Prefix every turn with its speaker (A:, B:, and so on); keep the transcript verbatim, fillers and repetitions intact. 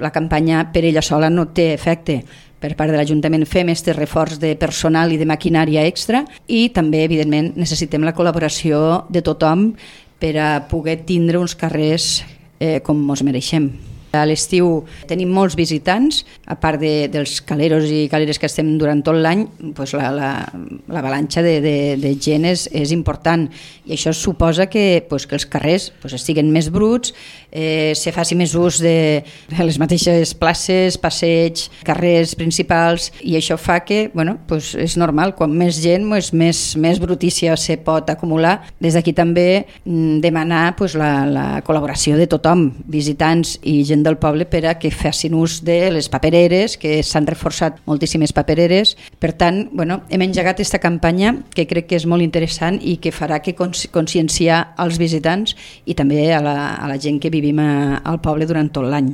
A: La campanya per ella sola no té efecte. Per part de l'Ajuntament fem aquest reforç de personal i de maquinària extra i també, evidentment, necessitem la col·laboració de tothom per a poder tindre uns carrers eh, com ens mereixem. A l'estiu tenim molts visitants, a part de, dels caleros i caleres que estem durant tot l'any, doncs la, la, l'avalanxa de, de, de gent és, és important i això suposa que, doncs, que els carrers doncs, estiguen més bruts, eh, se faci més ús de, de les mateixes places, passeig, carrers principals i això fa que, bueno, doncs és normal, quan més gent, doncs, més, més brutícia se pot acumular. Des d'aquí també mm, demanar doncs, la, la col·laboració de tothom, visitants i gent del poble per a que facin ús de les papereres, que s'han reforçat moltíssimes papereres. Per tant, bueno, hem engegat aquesta campanya que crec que és molt interessant i que farà que conscienciar als visitants i també a la, a la gent que vivim a, al poble durant tot l'any.